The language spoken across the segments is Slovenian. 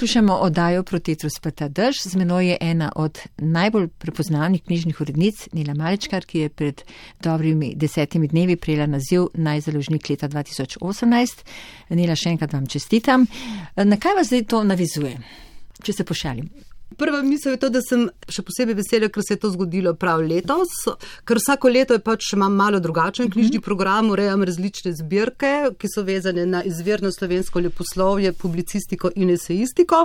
Poslušamo oddajo Protetrus Sprta dež. Z menoj je ena od najbolj prepoznavnih knjižnih urednic, Nela Malečkar, ki je pred dobrimi 10 dnevi prejela naziv najzaložnik leta 2018. Nela, še enkrat vam čestitam. Na kaj vas zdaj to navizuje, če se pošalim? Prva misel je to, da sem še posebej vesela, ker se je to zgodilo prav letos, ker vsako leto je pač imam malo drugačen knjižni program, urejam različne zbirke, ki so vezane na izvirno slovensko leposlovje, publicistiko in esejistiko.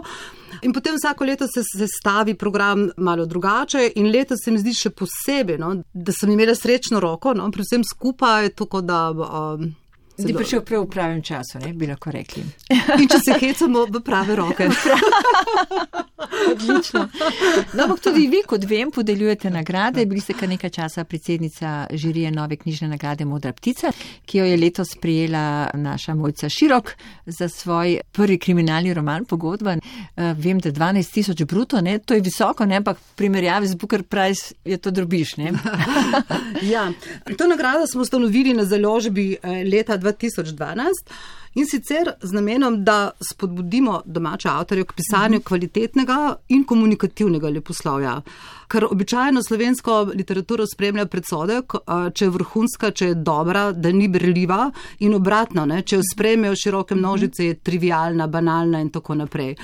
In potem vsako leto se sestavi program malo drugače in letos se mi zdi še posebej, da sem imela srečno roko, pri vsem skupaj, tako da... Zdi prišel prav v pravem času, ne, bi lahko rekli. In če se hecamo v prave roke. Odlično. No, ampak tudi vi, kot vem, podeljujete nagrade. Bili ste kar nekaj časa predsednica žirije nove knjižne nagrade Modra ptica, ki jo je letos prijela naša Mojca Širok za svoj prvi kriminalni roman Pogodba. Vem, da 12 000 bruto, ne, to je visoko, ne, ampak v primerjavi z Booker Prize je to drobiž, ne. Ja, to nagrado smo ustanovili na založbi leta 2012 in sicer z namenom, da spodbudimo domače avtorje k pisanju kvalitetnega in komunikativnega leposlovja. Ker običajno slovensko literaturo spremlja predsodek, če je vrhunska, če je dobra, da ni berljiva in obratno, ne, če jo sprejmejo široke množice, je trivialna, banalna in tako naprej.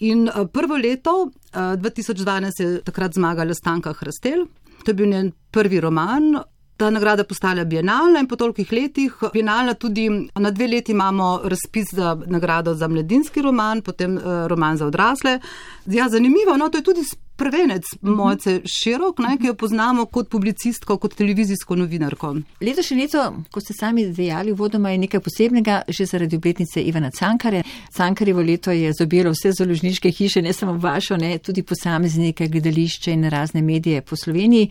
In prvo leto, 2012, je takrat zmagala Stanka Hrastelj. To je bil njen prvi roman. Ta nagrada postala bienalna in po tolikih letih bienalna tudi, na 2 leti imamo razpis za nagrado za mladinski roman, potem roman za odrasle. Ja, zanimivo, to je tudi prvenec Mojce Širok, ki jo poznamo kot publicistko, kot televizijsko novinarko. Letošnje leto, ko ste sami dejali, uvodoma je nekaj posebnega, že zaradi obletnice Ivana Cankarja. Cankarjevo leto je zobjelo vse založniške hiše, ne samo vašo, ne, tudi posameznike, gledališče in razne medije po Sloveniji.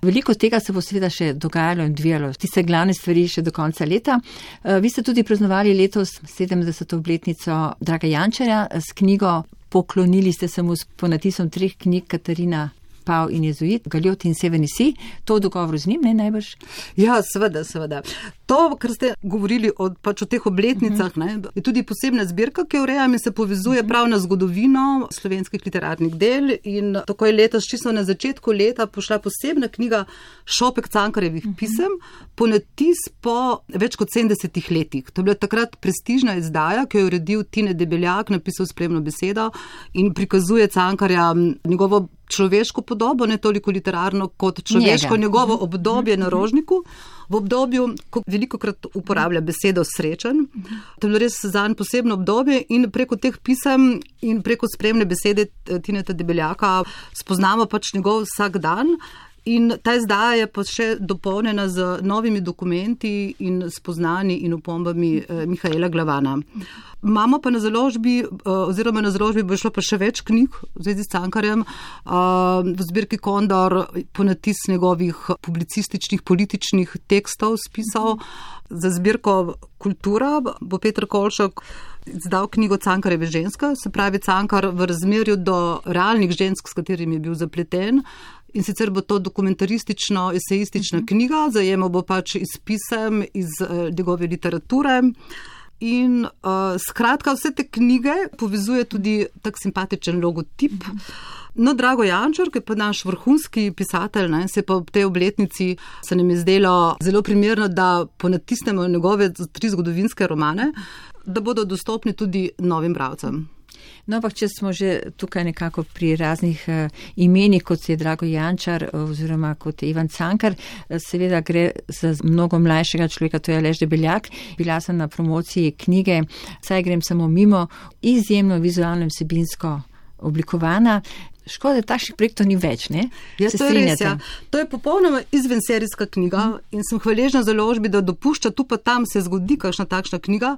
Veliko tega se bo seveda še dogajalo in odvijalo, tiste glavne stvari še do konca leta. Vi ste tudi praznovali letos 70. obletnico Draga Jančarja s knjigo. Poklonili ste se mu s ponatisom 3 knjig Katarina, Pav in Jezuit, Galjot in Severni Sij. To v dogovoru z njim, ne najbrž? Ja, seveda. To, kar ste govorili o teh obletnicah, je tudi posebna zbirka, ki jo urejam in se povezuje prav na zgodovino slovenskih literarnih del. In tako je letos, čisto na začetku leta, pošla posebna knjiga Šopek Cankarjevih pisem, ponatis po več kot 70 letih. To je bila takrat prestižna izdaja, ki jo je uredil Tine Debeljak, napisal spremno besedo in prikazuje Cankarja njegovo človeško podobo, ne toliko literarno kot človeško, njegovo obdobje na Rožniku, v obdobju, ko velikokrat uporablja besedo srečen. To je bilo res zanj posebno obdobje in preko teh pisem in preko spremne besede Tineta Debeljaka spoznamo njegov vsak dan. In ta izdaja je pa še dopolnjena z novimi dokumenti in spoznanji in opombami Mihaela Glavana. Imamo pa na založbi bo šlo pa še več knjig v zvezi s Cankarjem, v zbirki Kondor ponatis njegovih publicističnih, političnih tekstov, spisov. Za zbirko Kultura bo Peter Kolšak izdal knjigo Cankarjeve ženske, se pravi Cankar v razmerju do realnih žensk, s katerimi je bil zapleten. In sicer bo to dokumentaristično-esejistična knjiga, zajemal bo iz pisem, iz njegove literature. In skratka, vse te knjige povezuje tudi tak simpatičen logotip. No, Drago Jančar, ki je pa naš vrhunski pisatelj, se pa ob tej obletnici se nam je zdelo zelo primerno, da ponatisnemo njegove 3 zgodovinske romane, da bodo dostopni tudi novim bralcem. No, ampak če smo že tukaj nekako pri raznih imenih, kot je Drago Jančar oziroma kot je Ivan Cankar, seveda gre za mnogo mlajšega človeka, to je Aleš Debeljak. Bila sem na promociji knjige, saj grem samo mimo, izjemno vizualno in vsebinsko oblikovana. Škoda, takšnih projektov ni več, ne? Ja, to je res, ja. To je popolnoma izvenserijska knjiga in sem hvaležna založbi, da dopušča tu pa tam se zgodi kakšna takšna knjiga,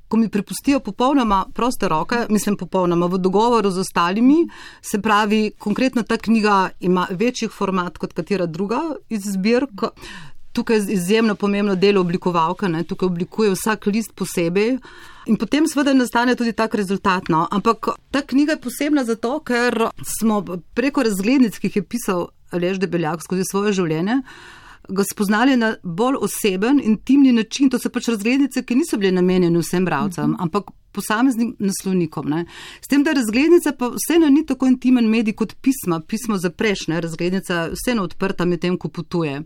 ko mi prepustijo popolnoma proste roke, popolnoma v dogovoru z ostalimi, se pravi, konkretno ta knjiga ima večji format kot katera druga iz zbirk. Tukaj je izjemno pomembno delo oblikovalka, tukaj oblikuje vsak list posebej in potem seveda nastane tudi tak rezultat. Ampak ta knjiga je posebna zato, ker smo preko razglednic, ki jih je pisal Aleš Debeljak skozi svoje življenje, ga spoznali na bolj oseben, intimni način. To so razglednice, ki niso bile namenjene vsem bralcem, ampak posameznim naslovnikom. Ne. S tem, da razglednica pa vseeno ni tako intimen medij kot pismo zapreš, ne. Razglednica vseeno odprta med tem, ko potuje.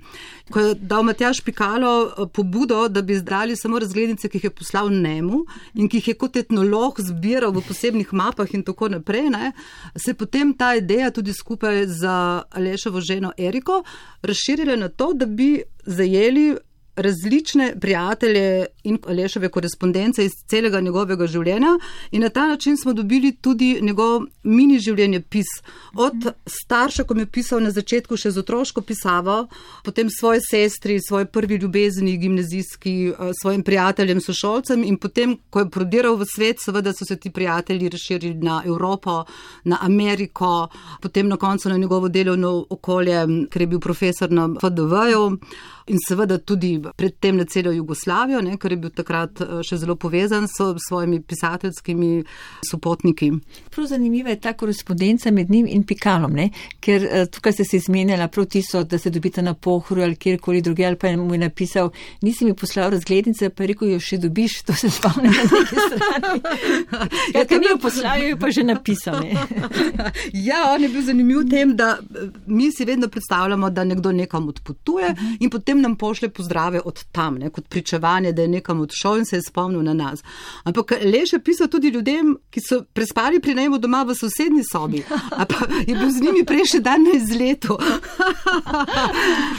Ko je dal Matjaž Pikalo pobudo, da bi izdali samo razglednice, ki jih je poslal njemu in ki jih je kot etnolog zbiral v posebnih mapah in tako naprej, ne, se je potem ta ideja tudi skupaj z Aleševo ženo Eriko razširila na to, da bi zajeli različne prijatelje in Aleševe korespondence iz celega njegovega življenja in na ta način smo dobili tudi njegov mini življenjepis. Od starša, ko mi je pisal na začetku še z otroško pisavo, potem svoji sestri, svoji prvi ljubezni, gimnazijski, svojim prijateljem, sošolcem in potem, ko je prodiral v svet, seveda so se ti prijatelji razširili na Evropo, na Ameriko, potem na koncu na njegovo delovno okolje, ker je bil profesor na FDV-ju. In seveda tudi predtem na celo Jugoslavijo, ne, ker je bil takrat še zelo povezan s svojimi pisateljskimi sopotniki. Prav zanimiva je ta korespondenca med njim in Pikalom, ne, ker tukaj ste se izmenjala prav tisto, da se dobite na Pohorju ali kjerkoli druge, ali pa mu je napisal, nisi mi poslal razglednice, pa je rekel, jo še dobiš, to se spomnim na neki strani. Ker mi jo poslal, jo pa že napisal. Ne. Ja, on je bil zanimiv v tem, da mi si vedno predstavljamo, da nekdo nekam odpotuje in potem nam pošlje pozdrave od tam, ne, kot pričevanje, da je nekam odšel in se je spomnil na nas. Ampak Aleš je pisal tudi ljudem, ki so prespali pri njemu doma v sosednji sobi, ali pa je bil z njimi prejšnji dan na izletu.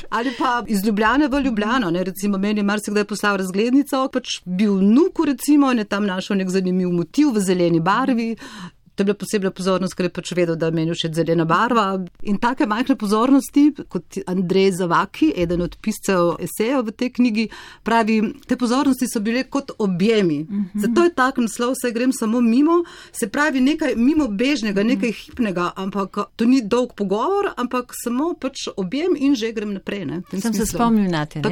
Ali pa iz Ljubljane v Ljubljano, ne, recimo meni je marsikdaj poslal razglednico, pač bil vnuku recimo in je tam našel nek zanimiv motiv v zeleni barvi. To je bila posebna pozornost, ker je pač vedel, da meni všeč zelena barva. In take majhne pozornosti, kot Andrej Zavaki, eden od piscev esejev v tej knjigi, pravi, te pozornosti so bile kot objemi. Zato je tak naslov, saj grem samo mimo, se pravi nekaj mimo bežnega, nekaj hipnega, ampak to ni dolg pogovor, ampak samo pač objem in že grem naprej. Ne, sem se spomnil na te.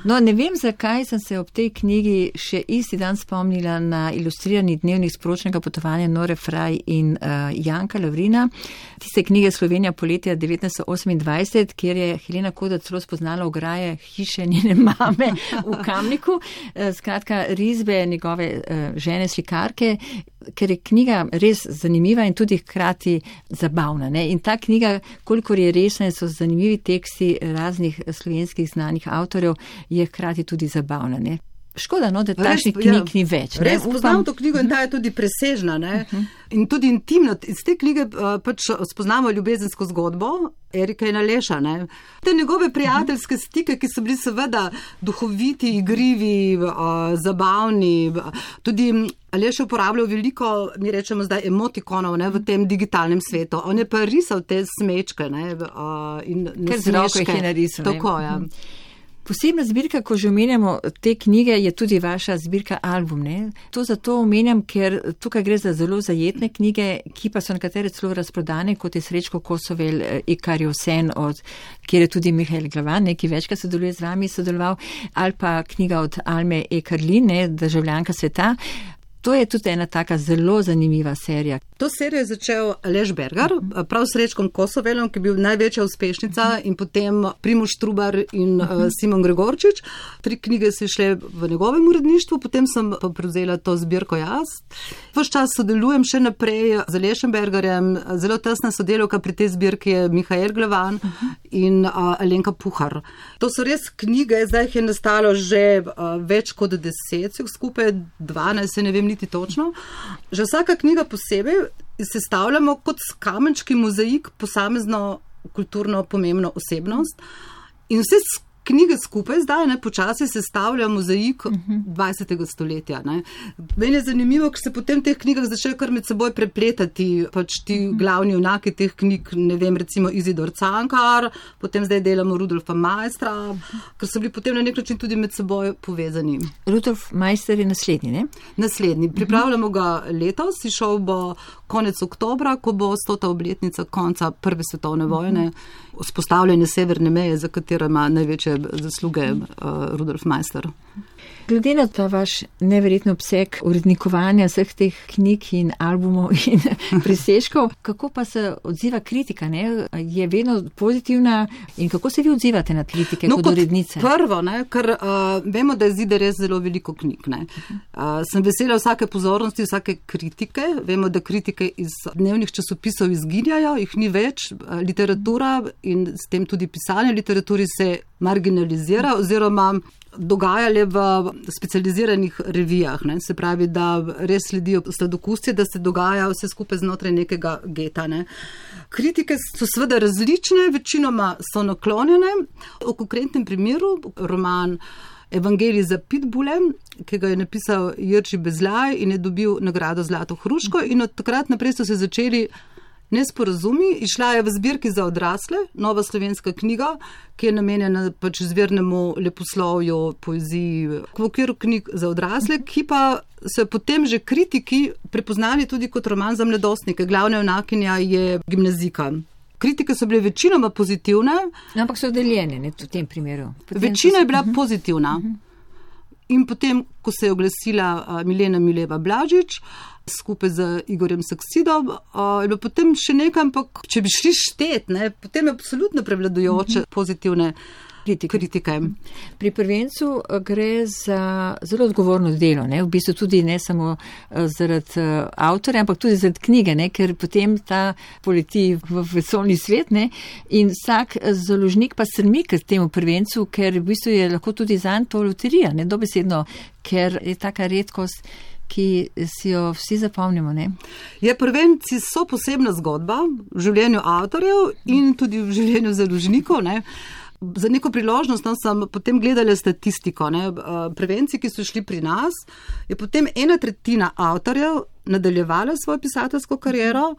No, ne vem, zakaj sem se ob tej knjigi še isti dan spomnila na ilustrirani dnevnik sporočnega potovanja Nore Fraj in Janka Lavrina, tiste knjige Slovenija poletja 1928, kjer je Helena Kodar celo spoznala ograje hiše njene mame v Kamniku, skratka risbe njegove žene slikarke, ker je knjiga res zanimiva in tudi hkrati zabavna. Ne? In ta knjiga, kolikor je resna, so zanimivi teksti raznih slovenskih znanih avtorjev, je hkrati tudi zabavna. Ne? Škoda, no, da takšnih knjig ni več. Res poznam to knjigo in ta je tudi presežna, ne? In tudi intimna. Iz te knjige pač spoznamo ljubezensko zgodbo Erika in Aleša, ne? Te njegove prijateljske stike, ki so bili seveda duhoviti, igrivi, zabavni. Tudi Aleš je uporabljal veliko, mi rečemo zdaj, emotikonov, ne, v tem digitalnem svetu. On je pa risal te smečke, ne, in nasmeške. Ker z roko jih je narisal. Tako, ja. Posebna zbirka, ko že omenjamo te knjige, je tudi vaša zbirka album. Ne? To zato omenjam, ker tukaj gre za zelo zajetne knjige, ki pa so nekatere celo razprodane, kot je Srečko Kosovel, Ikarjev sen, kjer je tudi Mihael Glavan, ki večkrat sodeluje z vami, sodeloval, ali pa knjiga od Alme E. Karlin, Državljanka sveta. To je tudi ena taka zelo zanimiva serija. To serijo je začel Aleš Bergar, prav s Srečkom Kosovelom, ki je bil največja uspešnica, in potem Primož Trubar in Simon Gregorčič. 3 knjige so šle v njegovem uredništvu, potem sem pa prevzela to zbirko jaz. Ves čas sodelujem še naprej z Alešem Bergarjem, zelo tesna sodelavka pri tej zbirki je Mihael Glavan in Alenka Puhar. To so res knjige, zdaj jih je nastalo že več kot 10, skupaj 12, se ne vem niti točno. Že vsaka knjiga posebej sestavljamo kot kamenčki mozaik posamezno kulturno pomembno osebnost in vse knjige skupaj zdaj počasi sestavlja mozaik 20. stoletja. Ne. Meni je zanimivo, ker se potem teh knjigah začnejo kar med seboj prepletati, pač ti glavni junaki teh knjig, ne vem, recimo Izidor Cankar, potem zdaj delamo Rudolfa Maistra, ker so bili potem na nek način tudi med seboj povezani. Rudolf Maister je naslednji, ne? Naslednji. Pripravljamo ga letos, izšel bo konec oktobra, ko bo 100. obletnica konca Prve svetovne vojne, vzpostavljanje severne meje, za katero ima največje zasluge Rudolf Maister. Glede na ta vaš neverjetno obseg urednikovanja vseh teh knjig in albumov in presežkov, kako pa se odziva kritika, ne? Je vedno pozitivna in kako se vi odzivate na kritike kot urednice? Prvo, ne, ker vemo, da izide res zelo veliko knjig. Ne. Sem vesela vsake pozornosti, vsake kritike. Vemo, da kritike iz dnevnih časopisov izginjajo, jih ni več. Literatura in s tem tudi pisanje literaturi se marginalizira oziroma dogajale v specializiranih revijah. Ne. Se pravi, da res sledijo sladokusje, da se dogaja vse skupaj znotraj nekega geta. Ne. Kritike so seveda različne, večinoma so naklonjene. V konkretnem primeru roman Evangelij za pitbule, ki ga je napisal Jerži Bezljaj in je dobil nagrado Zlato hruško, in od takrat naprej so se začeli nesporazumi. Išla je v zbirki za odrasle, nova slovenska knjiga, ki je namenjena pač izvirnemu leposlovju, poeziji, v okviru knjig za odrasle, ki pa so potem že kritiki prepoznali tudi kot roman za mladostnike. Glavna junakinja je gimnazijka. Kritike so bile večinoma pozitivne. Ampak so deljene, ne, v tem primeru. Večina je bila pozitivna. In potem, ko se je oglasila Milena Mileva Blažič, skupaj z Igorjem Saksidom, je bilo potem še nekaj, ampak če bi šli štet, ne, potem je absolutno prevladujoče pozitivne kritike. Pri prvencu gre za zelo odgovorno delo, ne? V bistvu tudi ne samo zaradi avtorja, ampak tudi zaradi knjige, ne? Ker potem ta poleti v vesoljni svet, ne? In vsak založnik pa strmi k temu prvencu, ker v bistvu je lahko tudi zanj to loterija, ne? Dobesedno, ker je taka redkost, ki si jo vsi zapomnimo, ne? Ja, prvenci so posebna zgodba v življenju avtorjev in tudi v življenju založnikov, ne? Za neko priložnost sem potem gledala statistiko. Ne? Prvenci, ki so šli pri nas, je potem 1/3 avtorjev nadaljevala svojo pisateljsko kariero,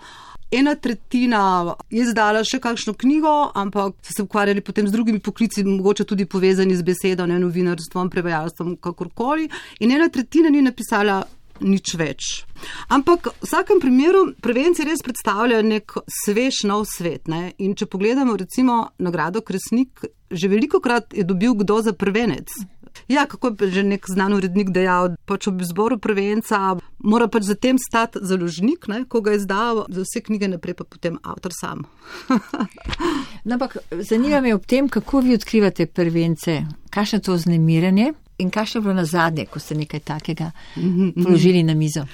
1/3 je izdala še kakšno knjigo, ampak so se ukvarjali potem z drugimi poklici, mogoče tudi povezani z besedo, ne, novinarstvom, prevajalstvom, kakorkoli, in 1/3 ni napisala nič več. Ampak v vsakem primeru prvenci res predstavljajo nek svež nov svet. Ne? In če pogledamo recimo nagrado Kresnik, že velikokrat je dobil kdo za prvenec. Ja, kako je že nek znan urednik dejal, pač ob izboru prvenca mora pač zatem stati založnik, ne, ko ga je izdal, za vse knjige naprej pa potem avtor sam. No, ampak zanima me ob tem, kako vi odkrivate prvence, kakšno to vznemirjanje in kakšno je bilo nazadnje, ko ste nekaj takega položili na mizo.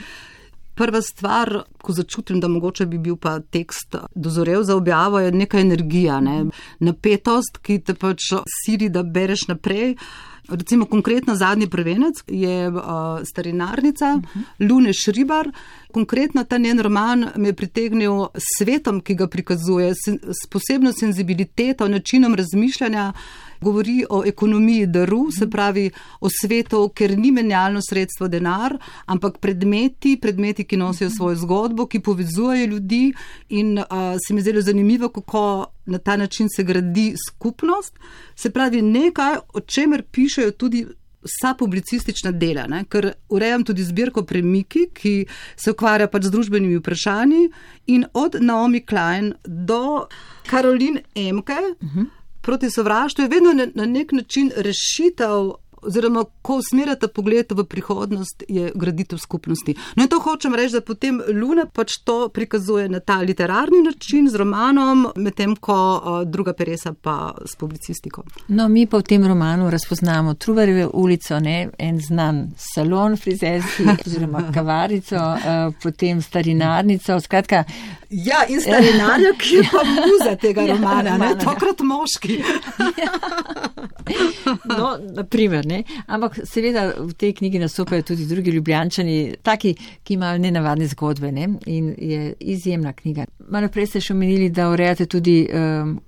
Prva stvar, ko začutim, da mogoče bi bil pa tekst dozorel za objavo, je neka energija, ne? Napetost, ki te pač sili, da bereš naprej. Recimo konkretno zadnji prvenec je Starinarnica, Lune Šribar. Konkretno ta njen roman me je pritegnil s svetom, ki ga prikazuje, s posebno senzibiliteto, načinom razmišljanja. Govori o ekonomiji daru, se pravi o svetu, ker ni menjalno sredstvo denar, ampak predmeti, ki nosijo svojo zgodbo, ki povezujejo ljudi, in se mi zdelo zanimivo, kako na ta način se gradi skupnost. Se pravi nekaj, o čemer pišejo tudi vsa publicistična dela, ne? Ker urejam tudi zbirko Premiki, ki se ukvarja pač z družbenimi vprašanji, in od Naomi Klein do Caroline Emke, Proti sovraštvu je vedno na nek način rešitev, oziroma ko usmerjata pogled v prihodnost, je graditev skupnosti. No in to hočem reči, da potem Luna pač to prikazuje na ta literarni način z romanom, medtem ko druga peresa pa s publicistiko. No, mi pa v tem romanu razpoznamo Trubarjevo ulico, ne, en znan salon frizerski, oziroma kavarico, potem Starinarnico, skratka. Ja, in Starinarja, ki je pa muza tega romana, ne, tokrat moški. No, naprimer, ne. Ampak seveda v tej knjigi nastopajo tudi drugi Ljubljančani, taki, ki imajo nenavadne zgodbe, ne? In je izjemna knjiga. Malo prej ste še omenili, da urejate tudi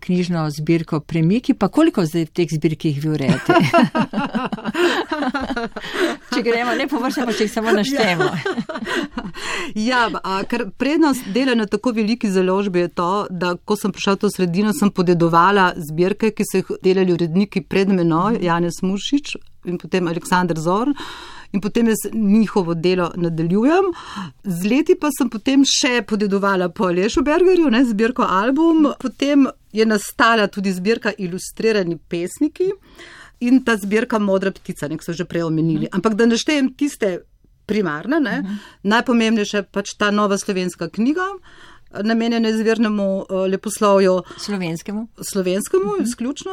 knjižno zbirko Premiki, pa koliko zdaj v teh zbirkih vi urejate? Če gremo, ne površno, pa če jih samo naštejemo. Ja, ker prednost dela na tako veliki založbi je to, da ko sem prišla v to sredino, sem podedovala zbirke, ki so jih delali uredniki pred menoj, Janez Muršič in potem Aleksandar Zorn, in potem jaz njihovo delo nadaljujem. Z leti pa sem potem še podedovala po Alešu Bergerju, ne, zbirko album, potem je nastala tudi zbirka Ilustrirani pesniki, in ta zbirka Modra ptica, nek so že prej omenili. Ampak da naštejem tiste primarne, najpomembnejše pač ta nova slovenska knjiga, namenjena izvirnemu leposlovju. Slovenskemu, izključno.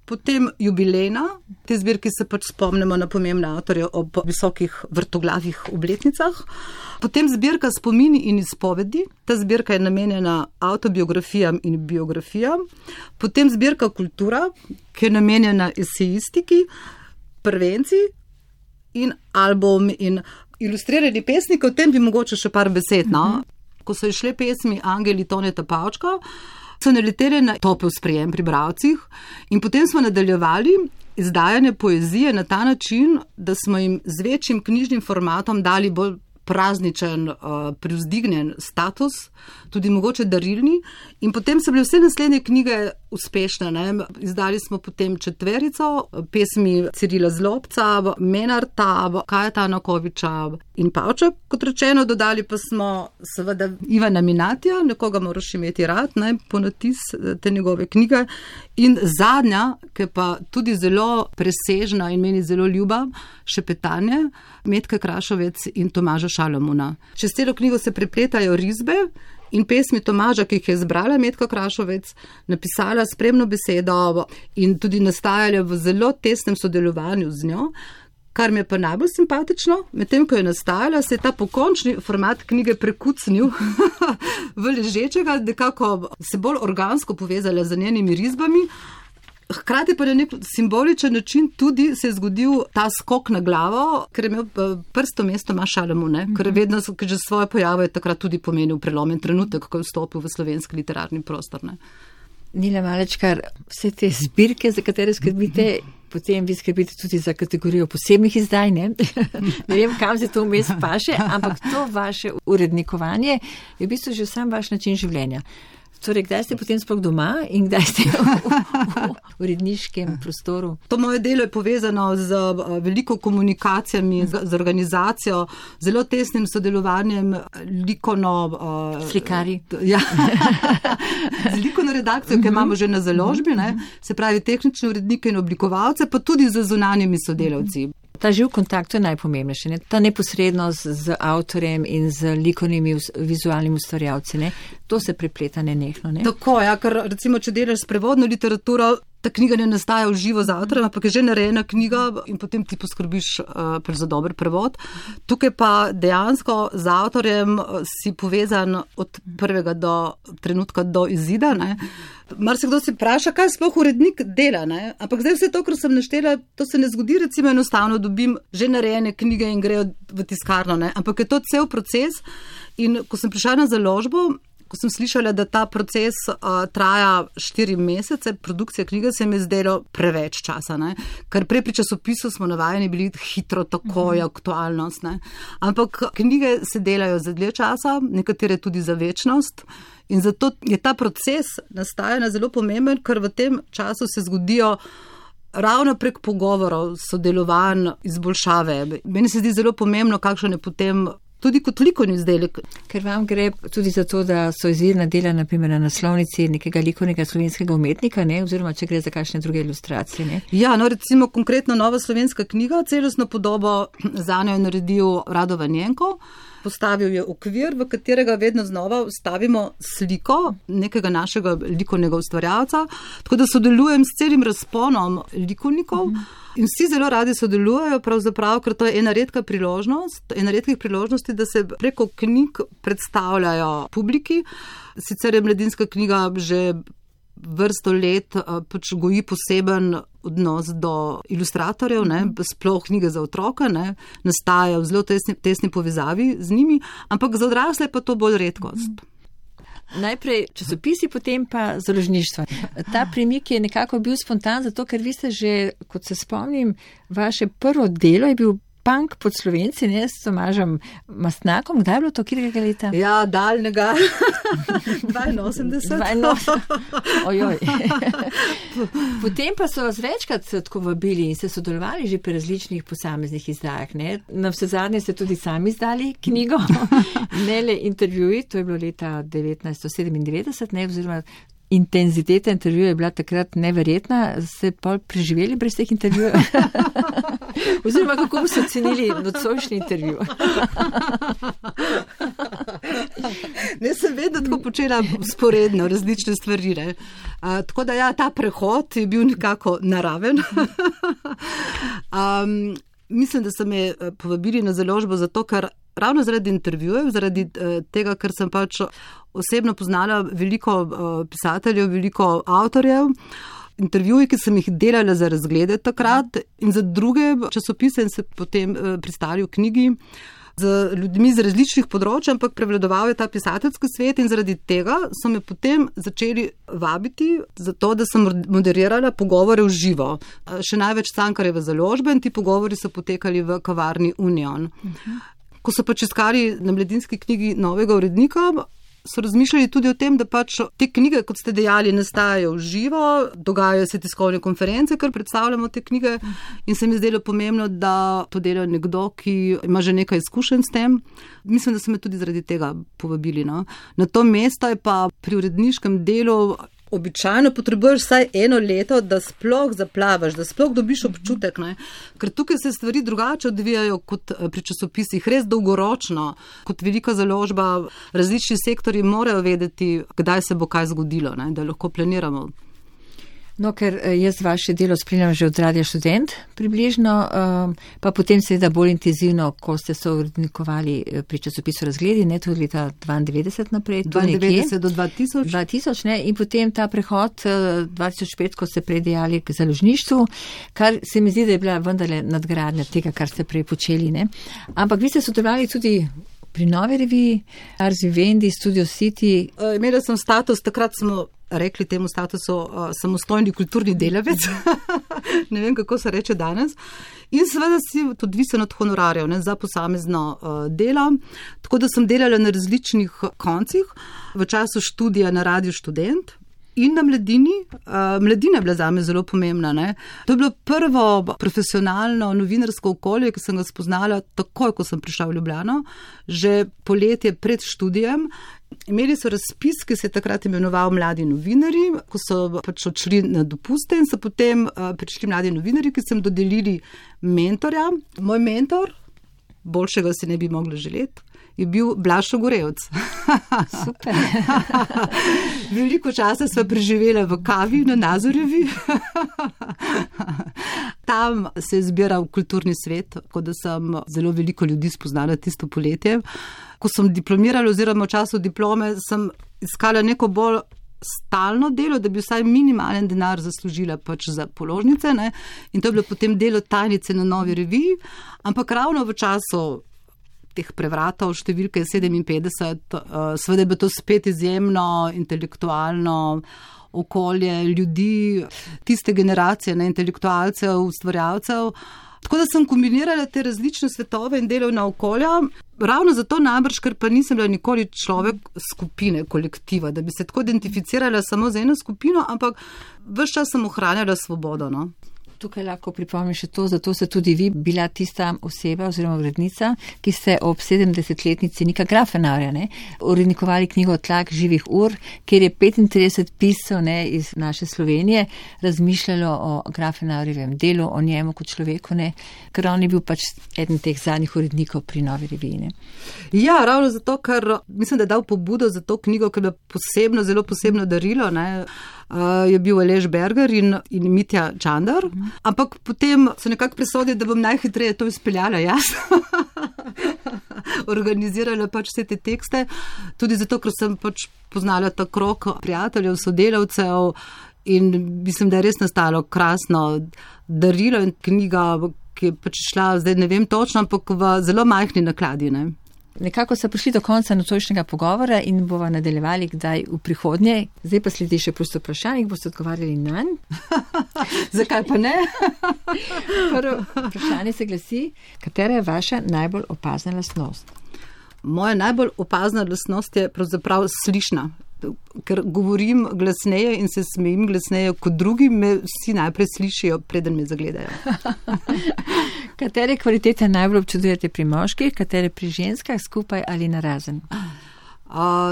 Potem jubilejna, te zbirki se pač spomnimo na pomembne avtorje ob visokih vrtoglavih obletnicah. Potem zbirka Spomini in izpovedi, ta zbirka je namenjena avtobiografijam in biografijam. Potem zbirka Kultura, ki je namenjena esejistiki, prvenci in album in ilustrirani pesniki, o tem bi mogoče še par besed. Ko so išle pesmi Angeli Toneta Pavčka, so naleteli na topel sprejem pri bralcih in potem smo nadaljevali izdajanje poezije na ta način, da smo jim z večjim knjižnim formatom dali bolj prazničen, privzdignjen status, tudi mogoče darilni, in potem so bile vse naslednje knjige uspešne. Izdali smo potem 4 pesmi Cirila Zlobca, Menarta, Kajeta Anakoviča in Pavča, kot rečeno, dodali pa smo seveda Ivana Minatija, nekoga moraš imeti rad, ponatis te njegove knjige, in zadnja, ki pa tudi zelo presežna in meni zelo ljuba, Šepetanje, Metke Krašovec in Tomaža Šalamuna. Čez celo knjigo se prepletajo risbe in pesmi Tomaža, ki jih je zbrala Metka Krašovec, napisala spremno besedo in tudi nastajala v zelo tesnem sodelovanju z njo, kar mi je pa najbolj simpatično. Medtem, ko je nastajala, se je ta pokončni format knjige prekucnil v ležečega, nekako se bolj organsko povezala z njenimi risbami. Hkrati pa na nek simboličen način tudi se je zgodil ta skok na glavo, ker je imel prsto mesto Šalamu, ker je vedno, ker že svoje pojave je takrat tudi pomenil prelomen trenutek, ko je vstopil v slovenski literarni prostor. Nila Malečkar, vse te zbirke, za katere skrbite, potem vi skrbite tudi za kategorijo posebnih izdaj, ne vem, kam se to vmes paše, ampak to vaše urednikovanje je v bistvu že sam vaš način življenja. Torej, kdaj ste potem sploh doma in kdaj ste v uredniškem prostoru? To moje delo je povezano z veliko komunikacijami, z organizacijo, zelo tesnim sodelovanjem likovno... Slikari. Ja. Z likovno redakcijo, ki imamo že na založbi, se pravi tehnične urednike in oblikovalce, pa tudi z zunanjimi sodelavci. Ta živ kontakt je najpomembnejši, ta neposrednost z avtorjem in z likovnimi vizualnimi ustvarjalci, to se prepleta nenehno. Tako, ker recimo, če delaš s prevodno literaturo, ta knjiga ne nastaja v živo z avtorjem, ampak je že narejena knjiga in potem ti poskrbiš za dober prevod. Tukaj pa dejansko z avtorjem si povezan od prvega trenutka do izida. Marsikdo si vpraša, kaj sploh urednik dela, ampak zdaj vse to, kar sem naštela, to se ne zgodi, recimo enostavno dobim že narejene knjige in grejo v tiskarno, ampak je to cel proces. In ko sem prišla na založbo, ko sem slišala, da ta proces traja 4 mesece, produkcija knjige, se mi je zdelo preveč časa, ker prej pri časopisu smo navajeni bili hitro, takoj, aktualnost. Ampak knjige se delajo za dlje časa, nekatere tudi za večnost. In zato je ta proces nastajanja zelo pomemben, ker v tem času se zgodijo ravno prek pogovorov, sodelovanj, izboljšave. Meni se zdi zelo pomembno, kakšen je potem tudi kot likovni izdelek. Ker vam gre tudi za to, da so izvirna dela naprimer na naslovnici nekega likovnega slovenskega umetnika, oziroma če gre za kakšne druge ilustracije. Ja, recimo konkretno nova slovenska knjiga, celostno podobo zanjo je naredil Rado Vanjenko. Postavil je okvir, v katerega vedno znova vstavimo sliko nekega našega likovnega ustvarjalca, tako da sodelujem s celim razponom likovnikov in vsi zelo radi sodelujejo, pravzaprav, ker to je ena redkih priložnosti, da se preko knjig predstavljajo publiki. Sicer je Mladinska knjiga že vrsto let goji poseben odnos do ilustratorjev, sploh knjige za otroka, nastajajo v zelo tesni povezavi z njimi, ampak za odrasle pa to bolj redkost. Najprej časopisi, potem pa založništva. Ta premik je nekako bil spontan, zato ker vi ste že, kot se spomnim, vaše prvo delo je bil Punk pod Slovenci, s Tomažem Mastnakom. Kdaj je bilo to, katerega leta? Ja, daljnega. 82. Ojoj. Potem pa so vas večkrat tako vabili in ste sodelovali že pri različnih posameznih izdajah. Na vse zadnje ste tudi sami izdali knjigo, ne le intervjuji, to je bilo leta 1997, oziroma intenziteta intervjuja je bila takrat neverjetna. Ste pol preživeli brez teh intervjujev? Oziroma, kako so ocenili nocojšnji intervju? Ne, sem vedno tako počela sporedno različne stvari. Tako da ja, ta prehod je bil nekako naraven. Mislim, da so me povabili na založbo zato, ker ravno zaradi intervjujev, zaradi tega, ker sem pač osebno poznala veliko pisateljev, veliko avtorjev, intervjuji, ki sem jih delala za razglede takrat in za druge časopise in se potem pristali v knjigi z ljudmi z različnih področij, ampak prevladoval je ta pisateljski svet in zaradi tega so me potem začeli vabiti za to, da sem moderirala pogovore v živo. Še največ Cankarjeve založbe in ti pogovori so potekali v kavarni Union. Ko so pač iskali na Mladinski knjigi novega urednika, so razmišljali tudi o tem, da pač te knjige, kot ste dejali, nastajajo v živo, dogajajo se tiskovne konference, ker predstavljamo te knjige in se mi zdelo pomembno, da to dela nekdo, ki ima že nekaj izkušenj s tem. Mislim, da so me tudi zaradi tega povabili. No. Na to mesto je pa pri uredniškem delu običajno potrebuješ vsaj 1 leto, da sploh zaplavaš, da sploh dobiš občutek, ne? Ker tukaj se stvari drugače odvijajo kot pri časopisih, res dolgoročno, kot velika založba, različni sektorji morajo vedeti, kdaj se bo kaj zgodilo, ne? Da lahko planiramo. No, ker jaz vaše delo spremljam že od Radia Študent približno, pa potem seveda bolj intenzivno, ko ste se urednikovali pri časopisu Razgledi, ne, tudi leta 92 naprej. 92 do 2000. 2000, ne, in potem ta prehod 2005, ko ste prej dejali k založništvu, kar se mi zdi, da je bila vendarle nadgradnja tega, kar ste prej počeli, ne. Ampak vi ste sodelovali tudi pri Novi reviji, Ars Vivendi, Studio City. Imela sem status, takrat smo rekli temu statusu samostojni kulturni delavec. Ne vem, kako se reče danes. In seveda si tudi odvisen od honorarjev, ne, za posamezno delo. Tako da sem delala na različnih koncih, v času študija na Radiu Študent in na Mladini. Mladina je bila zame zelo pomembna. Ne. To je bilo prvo profesionalno novinarsko okolje, ki sem ga spoznala takoj, ko sem prišla v Ljubljano, že poletje pred študijem. Imeli so razpis, ki se je takrat imenoval Mladi novinarji, ko so pač odšli na dopuste in so potem prišli mladi novinarji, ki so jim dodelili mentorja. Moj mentor, boljšega si ne bi mogla želeti, je bil Blaž Ogorevc. Super. Veliko časa sva preživela v kavi na Nazorjevi. Tam se je zbiral kulturni svet, tako da sem zelo veliko ljudi spoznala tisto poletje. Ko sem diplomirala oziroma v času diplome, sem iskala neko bolj stalno delo, da bi vsaj minimalen denar zaslužila pač za položnice. Ne? In to je bilo potem delo tajnice na Novi reviji. Ampak ravno v času teh prevratov številke 57, seveda je bilo to spet izjemno intelektualno okolje ljudi, tiste generacije, ne, intelektualcev, ustvarjalcev. Tako da sem kombinirala te različne svetove in delovna okolja, ravno zato najbrž, ker pa nisem bila nikoli človek skupine, kolektiva, da bi se tako identificirala samo z eno skupino, ampak ves čas sem ohranjala svobodo. No? Tukaj lahko pripomnim še to, zato ste tudi vi bila tista oseba oziroma urednica, ki ste ob 70-letnici Nika Grafenauerja urednikovali knjigo Tlak živih ur, kjer je 35 piscev iz naše Slovenije razmišljalo o Grafenauerjevem delu, o njemu kot človeku, ker on je bil pač eden teh zadnjih urednikov pri Novi reviji. Ja, ravno zato, ker mislim, da je dal pobudo za to knjigo, ker je posebno, zelo posebno darilo, je bil Aleš Berger in Mitja Čandar, ampak potem so nekako presodili, da bom najhitreje to izpeljala jaz. Organizirala pač vse te tekste, tudi zato, ker sem pač poznala ta krog prijateljev, sodelavcev in mislim, da je res nastalo krasno darilo in knjiga, ki je pač šla, zdaj ne vem točno, ampak v zelo majhni nakladi. Nekako so prišli do konca nocojšnjega pogovora in bova nadaljevali kdaj v prihodnje. Zdaj pa sledi še prosto vprašanje, boste odgovarjali nanj. Zakaj pa ne? Prvo vprašanje se glasi, katera je vaša najbolj opazna lastnost? Moja najbolj opazna lastnost je pravzaprav slišna. Ker govorim glasneje in se smejim glasneje kot drugi, me vsi najprej slišijo, preden me zagledajo. Katere kvalitete najbolj občudujete pri moških, katere pri ženskah, skupaj ali narazen?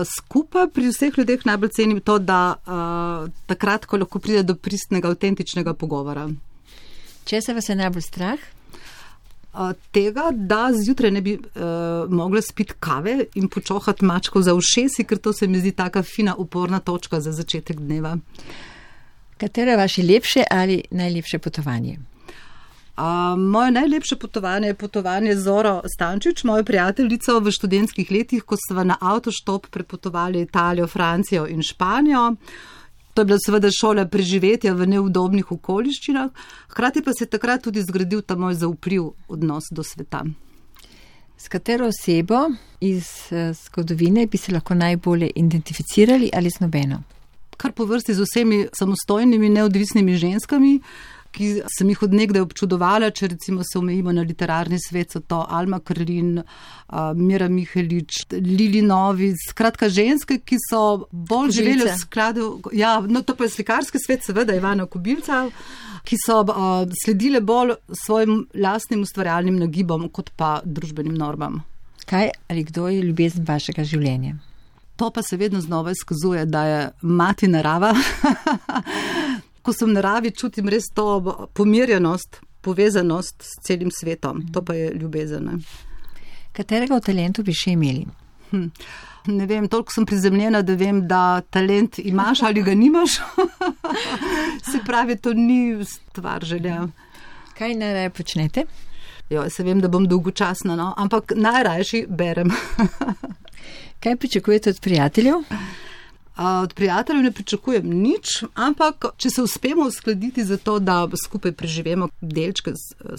Skupaj pri vseh ljudeh najbolj cenim to, da takrat, ko lahko pride do pristnega, avtentičnega pogovora. Če se vas je najbolj strah? Tega, da zjutraj ne bi mogla spiti kave in počohati mačkov za ušesi, ker to se mi zdi taka fina uporna točka za začetek dneva. Katero je vaše lepše ali najlepše potovanje? Moje najlepše potovanje je potovanje z Zoro Stančič, mojo prijateljico v študentskih letih, ko sva na avtoštop prepotovali Italijo, Francijo in Španijo. To je bila seveda šola preživetja v neudobnih okoliščinah, hkrati pa se je takrat tudi zgradil ta moj zaupljiv odnos do sveta. S katero osebo iz zgodovine bi se lahko najbolje identificirali ali z nobeno? Kar po vrsti z vsemi samostojnimi, neodvisnimi ženskami, ki sem jih od nekdaj občudovala, če recimo se omejimo na literarni svet, so to Alma Krlin, Mira Mihelič, Lili Novic, skratka ženske, ki so bolj živeli v skladu, to pa je slikarski svet, seveda Ivana Kobilca, ki so sledile bolj svojim lastnim ustvarjalnim nagibom, kot pa družbenim normam. Kaj ali kdo je ljubezen vašega življenja? To pa se vedno znova izkazuje, da je mati narava. Ko sem v naravi, čutim res to pomirjenost, povezanost s celim svetom. To pa je ljubezen. Katerega od talentov bi še imeli? Ne vem, toliko sem prizemljena, da vem, da talent imaš ali ga nimaš. Se pravi, to ni stvar želja. Kaj najraje počnete? Se vem, da bom dolgočasna, ampak najrajši berem. Kaj pričakujete od prijateljev? Od prijateljev ne pričakujem nič, ampak če se uspemo uskladiti za to, da skupaj preživemo delčke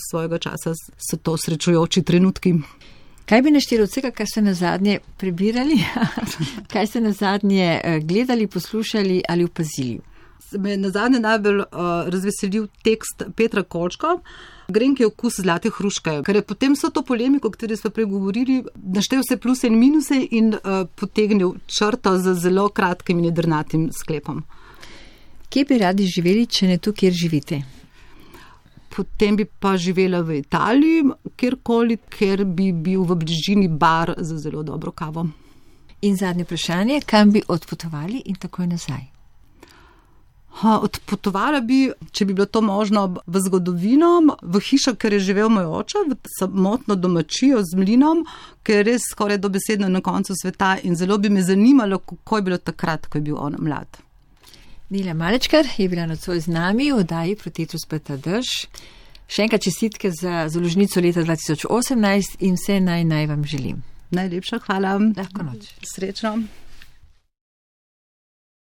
svojega časa, so to srečujoči trenutki. Kaj bi našteli od vsega, kar ste nazadnje prebirali? Kaj ste nazadnje gledali, poslušali ali opazili? Me je nazadnje najbolj razveselil tekst Petra Kolčka, Grenki okus zlate hruške, ker je potem so to polemiko, o kateri smo pregovorili, naštel vse pluse in minuse in potegnil črto z zelo kratkim in jedrnatim sklepom. Kje bi radi živeli, če ne tu, kjer živite? Potem bi pa živela v Italiji, kjerkoli, ker bi bil v bližini bar za zelo dobro kavo. In zadnje vprašanje, kam bi odpotovali in takoj nazaj? Odpotovala bi, če bi bilo to možno, v zgodovino, v hišo, ker je živel moj oče, v samotno domačijo z mlinom, ker je res skoraj dobesedno na koncu sveta in zelo bi me zanimalo, kako je bilo takrat, ko je bil on mlad. Nela Malečkar je bila nocoj z nami v oddaji Protetus Peta Drž. Še enkrat čestitke za založnico leta 2018 in vse naj vam želim. Najlepša hvala. Lahko noč. Srečno.